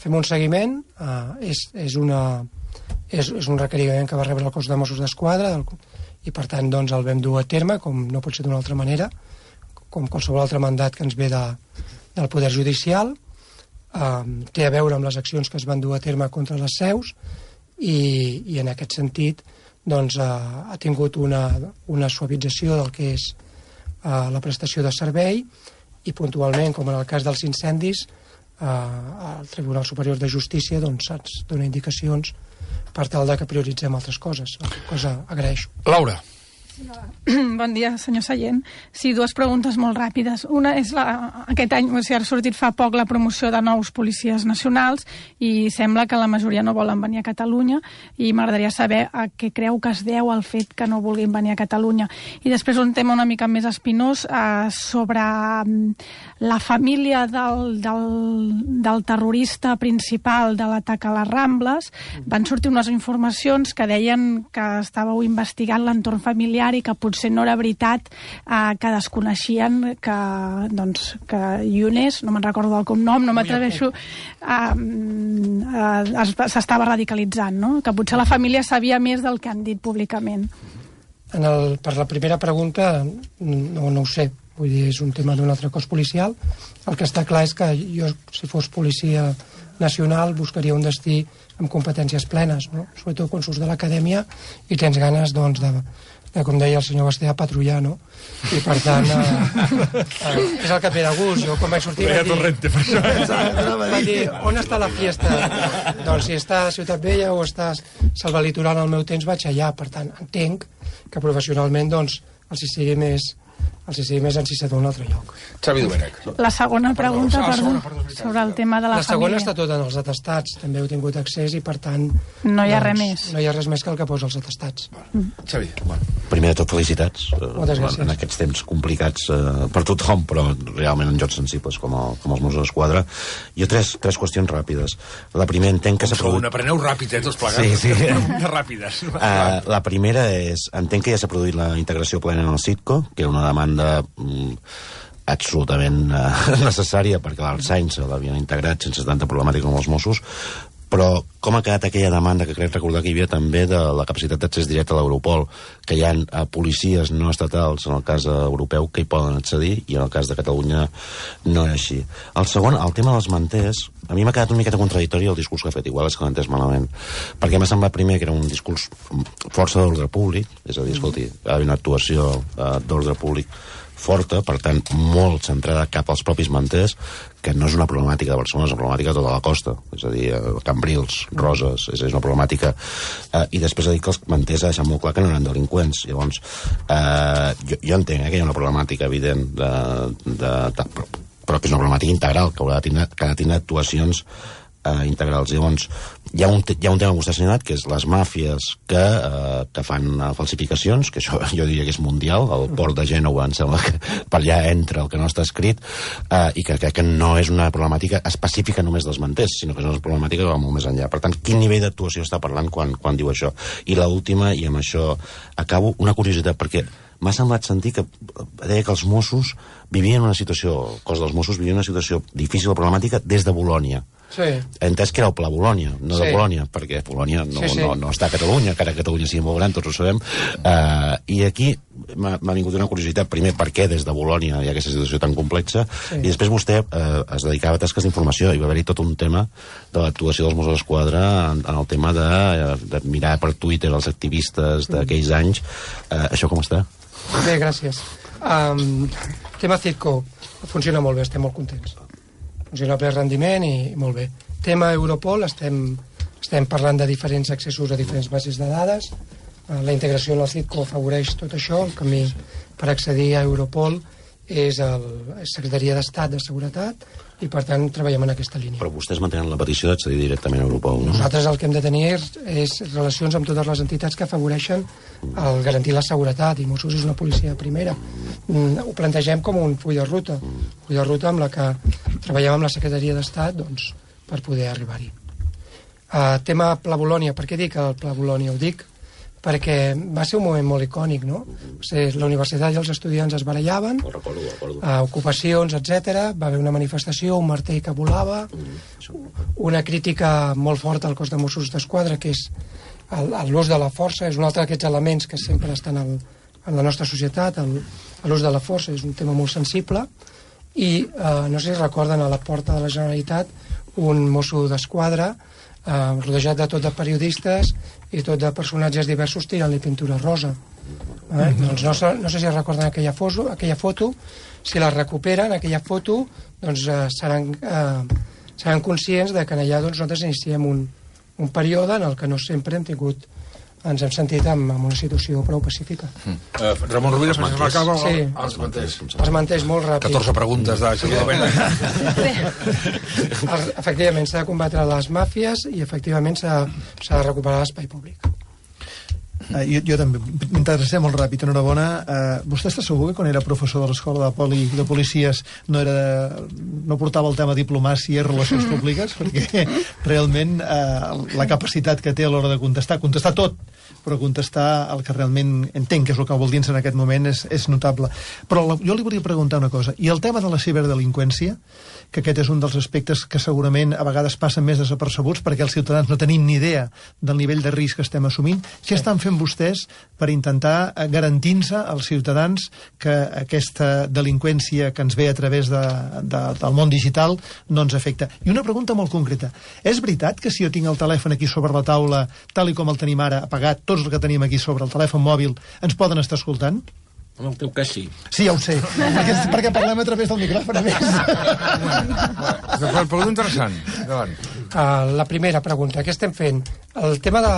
Fem un seguiment, eh, és, és una... És, és un requeriment que va rebre el cos de Mossos d'Esquadra i per tant doncs, el vam dur a terme, com no pot ser d'una altra manera, com qualsevol altre mandat que ens ve de, del Poder Judicial. Um, té a veure amb les accions que es van dur a terme contra les seus i, i en aquest sentit doncs, uh, ha tingut una, una suavització del que és uh, la prestació de servei i puntualment, com en el cas dels incendis, uh, el Tribunal Superior de Justícia doncs, ens dona indicacions per tal de que prioritzem altres coses, cosa agraeixo. Laura. Bon dia, senyor Sallent. Sí, dues preguntes molt ràpides. Una és la, aquest any, o sigui, ha sortit fa poc la promoció de nous policies nacionals i sembla que la majoria no volen venir a Catalunya i m'agradaria saber a què creu que es deu el fet que no vulguin venir a Catalunya. I després un tema una mica més espinós eh, sobre la família del, del, del terrorista principal de l'atac a les Rambles. Van sortir unes informacions que deien que estàveu investigant l'entorn familiar i que potser no era veritat, eh, que desconeixien que, doncs, que Younes, no me'n recordo del cognom, no m'atreveixo, eh, eh, s'estava radicalitzant, no? Que potser la família sabia més del que han dit públicament. En el, per la primera pregunta, no, no ho sé. Vull dir, és un tema d'un altre cos policial. El que està clar és que jo, si fos policia nacional, buscaria un destí amb competències plenes, no? Sobretot quan surts de l'acadèmia i tens ganes, doncs, de, de, com deia el senyor Basté, patrullar, no? I per tant, eh, eh, és el que em ve de gust. Jo quan vaig sortir vaig dir, vaig dir, on està la fiesta? Doncs si està a Ciutat Vella o està a Selva Litoral al meu temps, vaig allà. Per tant, entenc que professionalment, doncs, els hi sigui més els hi sigui més encisat d'un altre lloc. Xavi Domènech. La segona pregunta, Ah, perdó, segona, perdó, és veritat. sobre el tema de la, La segona família. està tota en els atestats, també heu tingut accés i per tant... No hi ha doncs, res més. No hi ha res més que el que posa els atestats. Xavi, bueno. Primer de tot, felicitats eh, Moltes gràcies. en aquests temps complicats eh, per tothom, però realment en jocs sensibles com, el, com els Mossos d'Esquadra. Hi ha tres, tres qüestions ràpides. La primera, entenc que s'ha Són, produït... apreneu ràpid, eh, tots plegats. Sí, sí. Preguntes ràpides. Uh, la primera és, entenc que ja s'ha produït la integració plena en el Citco, que era una demanda mm, absolutament uh, necessària perquè l'Alsains l'havien integrat sense tanta problemàtica com els Mossos, però com ha quedat aquella demanda que crec recordar que hi havia també de la capacitat d'accés directe a l'Europol, que hi ha uh, policies no estatals en el cas europeu que hi poden accedir i en el cas de Catalunya no és així. El segon, el tema dels manters, a mi m'ha quedat una miqueta contradictori el discurs que ha fet, igual és que l'he entès malament, perquè m'ha semblat primer que era un discurs força d'ordre públic, és a dir, escolti, hi ha una actuació uh, d'ordre públic forta, per tant, molt centrada cap als propis manters, que no és una problemàtica de Barcelona, és una problemàtica de tota la costa, és a dir, Cambrils, Roses, és, és una problemàtica... Eh, I després ha dit que els manters ha deixat molt clar que no eren delinqüents. Llavors, eh, jo, jo entenc eh, que hi ha una problemàtica evident, de, de, de, però, però que és una problemàtica integral, que haurà de tindre, que ha de tindre actuacions eh, integrals. Llavors, hi ha, un, hi ha un tema que vostè ha assenyalat, que és les màfies que, eh, que fan uh, falsificacions, que això jo diria que és mundial, el port de Gènova em sembla que per allà entra el que no està escrit, eh, i que crec que no és una problemàtica específica només dels manters, sinó que és una problemàtica que va molt més enllà. Per tant, quin nivell d'actuació està parlant quan, quan diu això? I l'última, i amb això acabo, una curiositat, perquè m'ha semblat sentir que deia que els Mossos vivien una situació, el cos dels Mossos vivia una situació difícil o problemàtica des de Bolònia. Sí. He entès que era el Pla Bolònia, no de sí. Polònia, perquè Polònia no, sí, sí. no, no està a Catalunya, encara que Catalunya sigui molt gran, tots ho sabem. Uh, I aquí m'ha vingut una curiositat, primer, per què des de Bolònia hi ha aquesta situació tan complexa, sí. I després vostè uh, es dedicava a tasques d'informació, i va haver-hi tot un tema de l'actuació dels Mossos d'Esquadra en, en el tema de, de mirar per Twitter els activistes d'aquells anys. Uh, això com està? Bé, gràcies. Um, tema Citco funciona molt bé, estem molt contents. Funciona a ple rendiment i, i molt bé. Tema Europol, estem, estem parlant de diferents accessos a diferents bases de dades. Uh, la integració en el Citco afavoreix tot això. El camí per accedir a Europol és la Secretaria d'Estat de Seguretat i, per tant, treballem en aquesta línia. Però vostès mantenen la petició d'accedir directament a Europol, no? Nosaltres el que hem de tenir és, és relacions amb totes les entitats que afavoreixen el garantir la seguretat, i Mossos és una policia de primera. Mm, ho plantegem com un full de ruta, full de ruta amb la que treballem amb la Secretaria d'Estat, doncs, per poder arribar-hi. Uh, tema Pla Bolònia, per què dic el Pla Bolònia? Ho dic perquè va ser un moment molt icònic, no? O sigui, la universitat i els estudiants es barallaven, Ho recordo, ho recordo. Uh, ocupacions, etcètera. Va haver una manifestació, un martell que volava, una crítica molt forta al cos de Mossos d'Esquadra, que és l'ús de la força, és un altre d'aquests elements que sempre estan al, en la nostra societat, l'ús de la força és un tema molt sensible, i uh, no sé si recorden, a la porta de la Generalitat un Mosso d'Esquadra Uh, rodejat de tot de periodistes i tot de personatges diversos tirant-li pintura rosa. Eh? Mm-hmm. Doncs no, no sé si recorden aquella foto, aquella foto, si la recuperen, aquella foto, doncs uh, seran, uh, seran conscients de que allà doncs, nosaltres iniciem un, un període en el que no sempre hem tingut, ens hem sentit en, en una situació prou pacífica. Mm. Uh, Ramon Rovira, Els s'acaba sí. els manters. Els manters molt ràpid. catorze preguntes de seguidament. Efectivament, s'ha de combatre les màfies i efectivament s'ha de recuperar l'espai públic. Uh, jo, jo també m'interessa molt ràpid, enhorabona. Uh, vostè està segur que quan era professor de l'escola de poli de policies no era no portava el tema diplomàcia i relacions públiques? Perquè realment uh, la capacitat que té a l'hora de contestar, contestar tot, però contestar el que realment entenc que és el que vol dir en aquest moment és, és notable. Però la, jo li volia preguntar una cosa. I el tema de la ciberdelinqüència, que aquest és un dels aspectes que segurament a vegades passen més desapercebuts perquè els ciutadans no tenim ni idea del nivell de risc que estem assumint, què estan fent vostès per intentar garantir-se als ciutadans que aquesta delinqüència que ens ve a través de, de, del món digital no ens afecta? I una pregunta molt concreta. És veritat que si jo tinc el telèfon aquí sobre la taula, tal i com el tenim ara, apagat, tots els que tenim aquí sobre el telèfon mòbil, ens poden estar escoltant? En el teu cas sí. Sí, ja ho sé, perquè, perquè parlem a través del micròfon a més. Però pregunta interessant. Endavant. Uh, la primera pregunta, què estem fent? El tema de,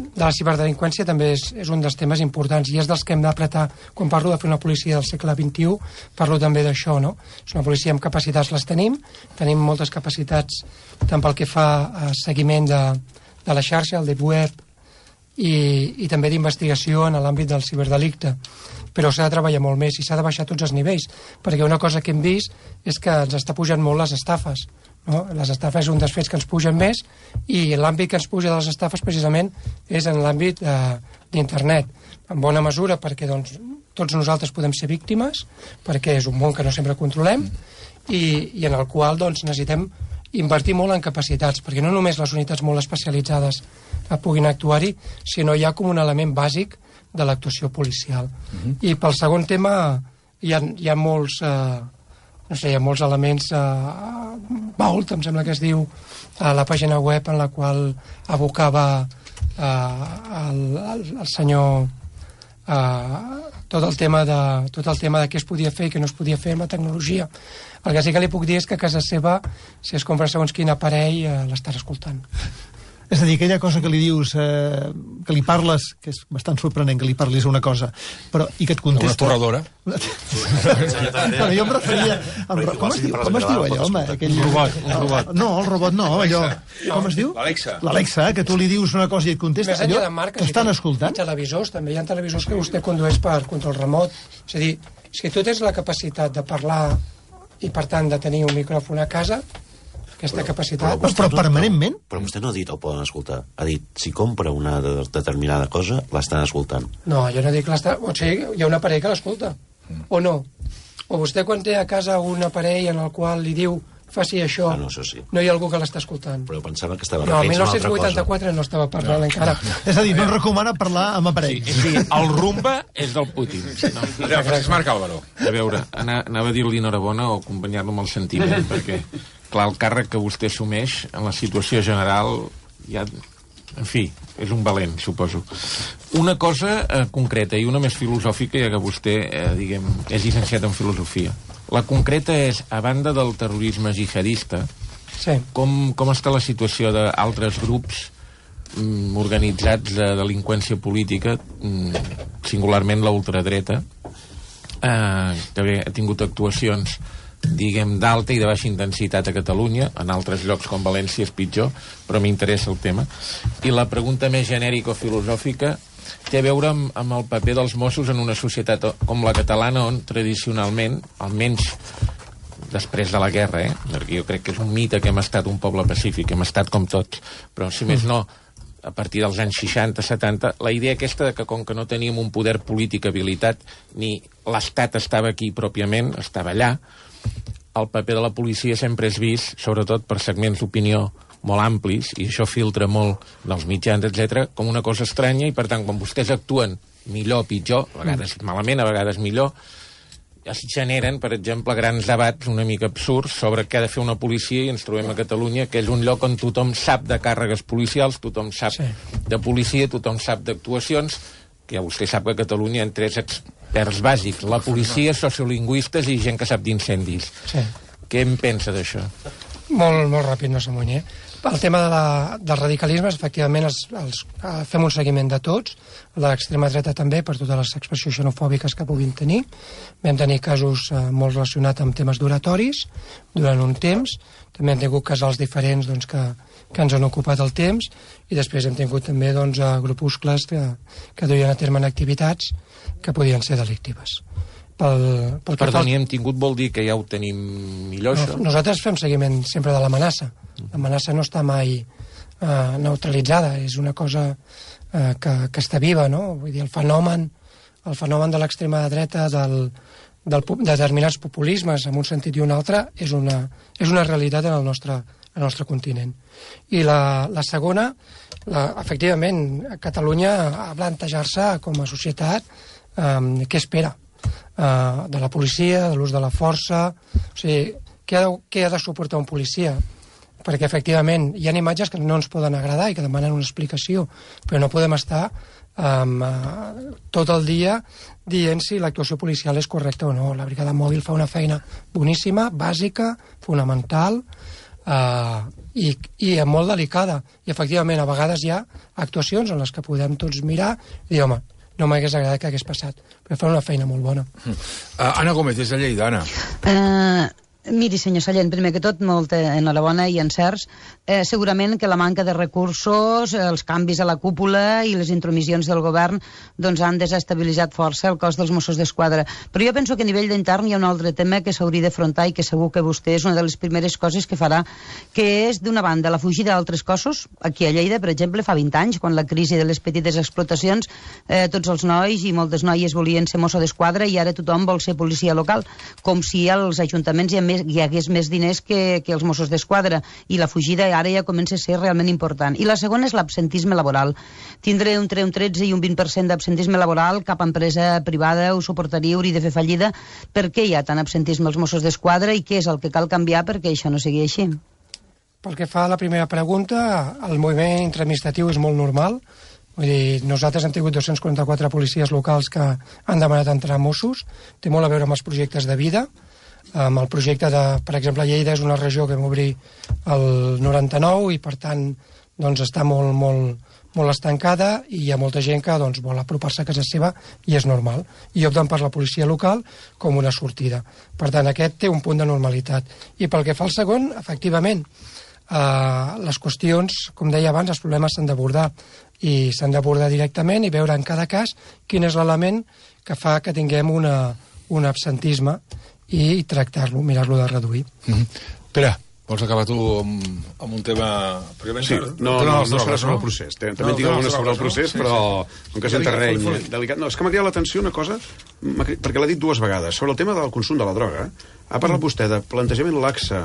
de la ciberdelinqüència també és, és un dels temes importants i és dels que hem d'apretar. Quan parlo de fer una policia del segle vint-i-u, parlo també d'això, no? És una policia amb capacitats, les tenim, tenim moltes capacitats tant pel que fa a seguiment de, de la xarxa, el deep web, i, i també d'investigació en l'àmbit del ciberdelicte. Però s'ha de treballar molt més i s'ha de baixar tots els nivells, perquè una cosa que hem vist és que ens està pujant molt les estafes, no? Les estafes és un dels fets que ens pugen més i l'àmbit que ens puja de les estafes precisament és en l'àmbit eh, d'internet, en bona mesura perquè doncs, tots nosaltres podem ser víctimes, perquè és un món que no sempre controlem i, i en el qual doncs, necessitem invertir molt en capacitats, perquè no només les unitats molt especialitzades puguin actuar-hi, sinó ja com un element bàsic de l'actuació policial. Uh-huh. I pel segon tema hi ha, hi ha molts eh, no sé, hi ha molts elements eh, Vault, em sembla que es diu, a la pàgina web en la qual abocava eh, el, el, el senyor eh, tot el tema de tot el tema de què es podia fer i què no es podia fer amb la tecnologia. El que sí que li puc dir és que a casa seva, si es compra segons quin aparell, eh, l'estàs escoltant. És a dir, aquella cosa que li dius, eh, que li parles, que és bastant sorprenent que li parlis una cosa, però, i que et contesta... Una torradora. Bueno, jo em referia... Em, com es diu, com es diu allò, home? Aquell... Un robot, un robot. No, el robot no, allò... Com es diu? L'Alexa. L'Alexa, que tu li dius una cosa i et contesta. Més enllà Allò de marques, t'estan i escoltant? I televisors, també hi ha televisors que vostè condueix per control remot. És a dir, si tu tens la capacitat de parlar i, per tant, de tenir un micròfon a casa, aquesta però, capacitat... Però, però permanentment? Però vostè no ha dit el poden escoltar. Ha dit, si compra una de determinada cosa, l'estan escoltant. No, jo no dic l'estar... O sigui, hi ha un aparell que l'escolta. O no. O vostè quan té a casa un aparell en el qual li diu faci això, ah, no, això sí. No hi ha algú que l'està escoltant. Però pensava que estava no, referint a una altra cosa. No, el dinou vuitanta-quatre no estava parlant no. encara. És a dir, no recomana parlar amb aparells. Sí, sí, el rumba és del Putin. No. Francesc Marc Álvaro. A veure, anava a dir-li enhorabona o acompanyar-lo amb el sentiment, perquè, clar, el càrrec que vostè assumeix en la situació general ja... En fi, és un valent, suposo. Una cosa eh, concreta i una més filosòfica, ja que vostè, eh, diguem, és llicenciat en filosofia. La concreta és, a banda del terrorisme jihadista, sí. com, com està la situació d'altres grups mm, organitzats de delinqüència política, mm, singularment la ultradreta, eh, que bé, ha tingut actuacions diguem, d'alta i de baixa intensitat a Catalunya, en altres llocs com València és pitjor, però m'interessa el tema. I la pregunta més genèrica o filosòfica té a veure amb, amb el paper dels Mossos en una societat com la catalana, on tradicionalment, almenys després de la guerra, eh? perquè jo crec que és un mite que hem estat un poble pacífic, hem estat com tots, però si més no, a partir dels anys seixanta setanta, la idea aquesta de que com que no teníem un poder polític habilitat, ni l'Estat estava aquí pròpiament, estava allà, el paper de la policia sempre és vist, sobretot per segments d'opinió molt amplis, i això filtra molt dels mitjans, etcètera, com una cosa estranya, i per tant, quan vostès actuen millor o pitjor, a vegades malament, a vegades millor, es generen, per exemple, grans debats una mica absurds sobre què ha de fer una policia, i ens trobem a Catalunya, que és un lloc on tothom sap de càrregues policials, tothom sap sí. de policia, tothom sap d'actuacions, que ja vostè sap que a Catalunya hi ha tres experts bàsics, la policia, sociolingüistes i gent que sap d'incendis. Sí. Què en pensa d'això? Molt, molt ràpid, no s'amunyi. El tema de la, dels radicalismes, efectivament, els, els, fem un seguiment de tots, l'extrema dreta també, per totes les expressions xenofòbiques que puguin tenir. Vam tenir casos eh, molt relacionats amb temes duratoris durant un temps, també hem tingut casals diferents doncs, que, que ens han ocupat el temps, i després hem tingut també doncs, grupuscles que, que duien a terme en activitats que podien ser delictives. Pel, pel Perdoni, hem tingut vol dir que ja ho tenim millor, això? No, nosaltres fem seguiment sempre de l'amenaça. L'amenaça no està mai eh, neutralitzada, és una cosa eh, que, que està viva, no? Vull dir, el fenomen, el fenomen de l'extrema dreta, del, del, de determinats populismes en un sentit i un altre, és una, és una realitat en el nostre, en el nostre continent. I la, la segona, la, efectivament, Catalunya ha de plantejar-se com a societat eh, què espera Uh, de la policia, de l'ús de la força, o sigui, què ha, de, què ha de suportar un policia? Perquè efectivament hi ha imatges que no ens poden agradar i que demanen una explicació, però no podem estar um, uh, tot el dia dient si l'actuació policial és correcta o no. La brigada mòbil fa una feina boníssima, bàsica, fonamental uh, i, i molt delicada, i efectivament a vegades hi ha actuacions en les que podem tots mirar i dir, home, no m'hagués agradat que hagués passat, però fa una feina molt bona. Uh, Anna Gómez, des de Lleida, Anna. Uh, miri, senyor Sallent, primer que tot, molta enhorabona i encerts. Eh, segurament que la manca de recursos, els canvis a la cúpula i les intromissions del govern doncs han desestabilitzat força el cos dels Mossos d'Esquadra. Però jo penso que a nivell d'intern hi ha un altre tema que s'hauria d'afrontar i que segur que vostè és una de les primeres coses que farà, que és, d'una banda, la fugida d'altres cossos. Aquí a Lleida, per exemple, fa vint anys, quan la crisi de les petites explotacions, eh, tots els nois i moltes noies volien ser Mosso d'Esquadra i ara tothom vol ser policia local, com si als ajuntaments hi ha més més, hi hagués més diners que, que els Mossos d'Esquadra, i la fugida ara ja comença a ser realment important. I la segona és l'absentisme laboral. Tindre entre un tretze i un vint per cent d'absentisme laboral, cap empresa privada ho suportaria, hauria de fer fallida. Per què hi ha tant absentisme als Mossos d'Esquadra i què és el que cal canviar perquè això no sigui així? Pel que fa a la primera pregunta, el moviment intraadministratiu és molt normal. Vull dir, nosaltres hem tingut dos-cents quaranta-quatre policies locals que han demanat entrar a Mossos. Té molt a veure amb els projectes de vida. Amb el projecte de, per exemple, Lleida és una regió que vam obrir el noranta-nou i, per tant, doncs està molt, molt, molt estancada i hi ha molta gent que doncs, vol apropar-se a casa seva i és normal. I opten per la policia local com una sortida. Per tant, aquest té un punt de normalitat. I pel que fa al segon, efectivament, Uh, les qüestions, com deia abans, els problemes s'han d'abordar i s'han d'abordar directament i veure en cada cas quin és l'element que fa que tinguem una, un absentisme i tractar-lo, mirar-lo de reduir. Mm-hmm. Pere, vols acabar tu amb, amb un tema... Sí, no, no, no serà sobre el procés. També en tinc alguna sobre el procés, però com que és en terreny delicat. No, és que m'ha cridat l'atenció una cosa, perquè l'ha dit dues vegades, sobre el tema del consum de la droga. Ha parlat vostè de plantejament laxe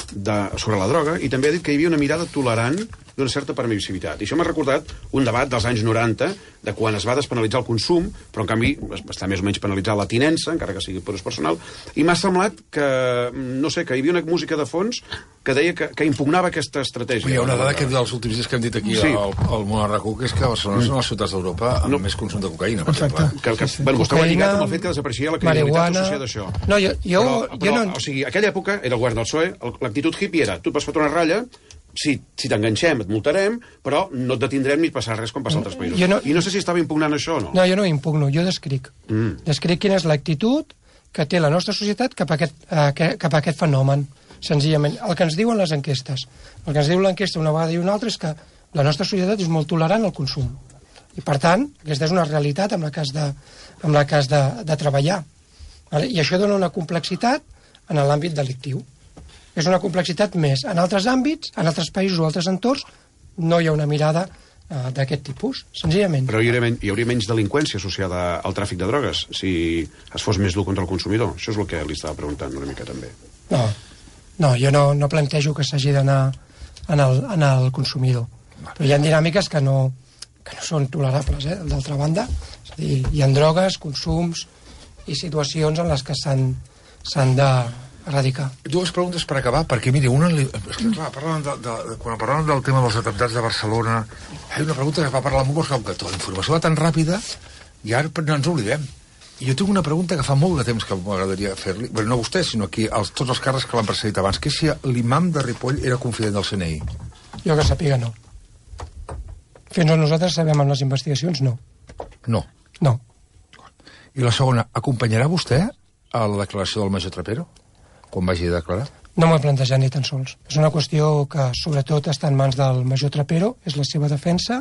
de, sobre la droga, i també ha dit que hi havia una mirada tolerant d'una certa permissivitat. I això m'ha recordat un debat dels anys noranta, de quan es va despenalitzar el consum, però en canvi està més o menys penalitzar la tinença, encara que sigui per ús personal, i m'ha semblat que, no sé, que hi havia una música de fons que deia que, que impugnava aquesta estratègia. Hi ha una dada que dels últims dies que hem dit aquí sí. al, al món arracú, que és que Barcelona és una de les ciutats d'Europa amb no. més consum de cocaïna, per exemple. Que, que, sí, sí. Bueno, vostè ho ha lligat amb el fet que desapareixia la criminalitat associada a això. No, jo, jo, però, però, jo no... O sigui, aquella època era el govern del P S O E, l'actitud hippie era, tu et vas fotre una ratlla, si, si t'enganxem et multarem, però no et detindrem ni et passarà res com passa a altres països. No, I no sé si estava impugnant això o no. No, jo no impugno, jo descric. Mm. Descric quina és l'actitud que té la nostra societat cap a aquest, eh, cap a aquest fenomen, senzillament. El que ens diuen les enquestes, el que ens diu l'enquesta una vegada i una altra és que la nostra societat és molt tolerant al consum. I, per tant, aquesta és una realitat amb la que has de, amb la que has de, de treballar. Vale? I això dona una complexitat en l'àmbit delictiu. És una complexitat més. En altres àmbits, en altres països o altres entorns, no hi ha una mirada uh, d'aquest tipus, senzillament. Però hi hauria, men hi hauria menys delinqüència associada al tràfic de drogues si es fos més dur contra el consumidor. Això és el que li estava preguntant una mica també. No, no jo no, no plantejo que s'hagi d'anar en, el, en el consumidor. Però hi ha dinàmiques que no, que no són tolerables, eh? D'altra banda. És a dir, hi ha drogues, consums i situacions en les que s'han de erradicar. Dues preguntes per acabar, perquè, miri, una... Li... És que, clar, parlant de, de, de, quan parlàvem del tema dels atemptats de Barcelona, hi ha una pregunta que va parlar amb un que tota la informació va tan ràpida i ara no ens oblidem. I jo tinc una pregunta que fa molt de temps que m'agradaria fer-li, però no vostè, sinó aquí, els, tots els càrrecs que l'han precedit abans, que és si l'imam de Ripoll era confident del C N I. Jo que sàpiga, no. Fins on nosaltres sabem en les investigacions, no. No? No. I la segona, acompanyarà vostè a la declaració del major Trapero? Quan vagi a declarar? No m'ho he plantejat ni tan sols. És una qüestió que, sobretot, està en mans del major Trapero, és la seva defensa,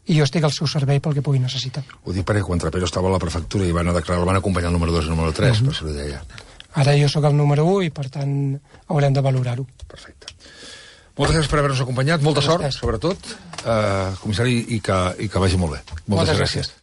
i jo estic al seu servei pel que pugui necessitar. Ho dic perquè quan Trapero estava a la prefectura i van a declarar, el van acompanyar el número dos i el número tres, mm -hmm. per això li deia. Ara jo sóc el número u i, per tant, haurem de valorar-ho. Perfecte. Moltes gràcies per haver-nos acompanyat, molta sort, sobretot, eh, comissari, i que, i que vagi molt bé. Moltes, Moltes gràcies. gràcies.